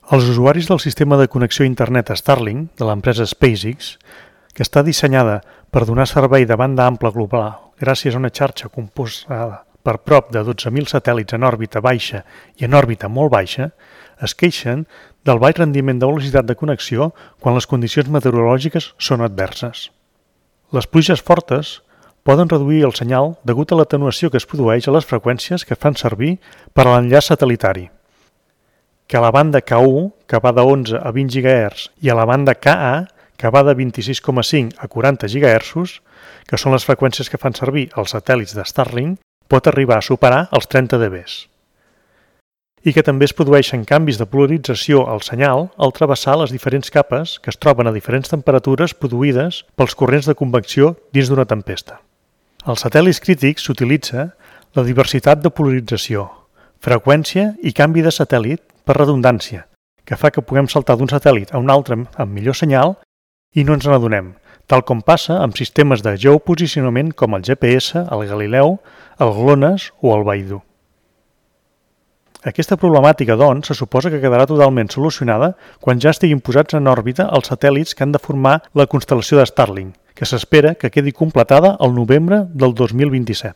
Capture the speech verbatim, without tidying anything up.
Els usuaris del sistema de connexió a internet Starlink de l'empresa SpaceX, que està dissenyada per donar servei de banda ampla global gràcies a una xarxa composada per prop de dotze mil satèl·lits en òrbita baixa i en òrbita molt baixa, es queixen del baix rendiment de velocitat de connexió quan les condicions meteorològiques són adverses. Les pluges fortes poden reduir el senyal degut a l'atenuació que es produeix a les freqüències que fan servir per a l'enllaç satel·litari, que a la banda K u, que va de onze a vint gigahertzs, i a la banda Ka, que va de vint-i-sis coma cinc a quaranta gigahertzs, que són les freqüències que fan servir els satèl·lits de Starlink, pot arribar a superar els trenta decibels. I que també es produeixen canvis de polarització al senyal al travessar les diferents capes que es troben a diferents temperatures produïdes pels corrents de convecció dins d'una tempesta. Als satèl·lits crítics s'utilitza la diversitat de polarització, freqüència i canvi de satèl·lit per redundància, que fa que puguem saltar d'un satèl·lit a un altre amb millor senyal i no ens n'adonem, tal com passa amb sistemes de geoposicionament com el G P S, el Galileu, el GLONASS o el Beidou. Aquesta problemàtica, doncs, se suposa que quedarà totalment solucionada quan ja estiguin posats en òrbita els satèl·lits que han de formar la constel·lació de Starlink, que s'espera que quedi completada el novembre del dos mil vint-i-set.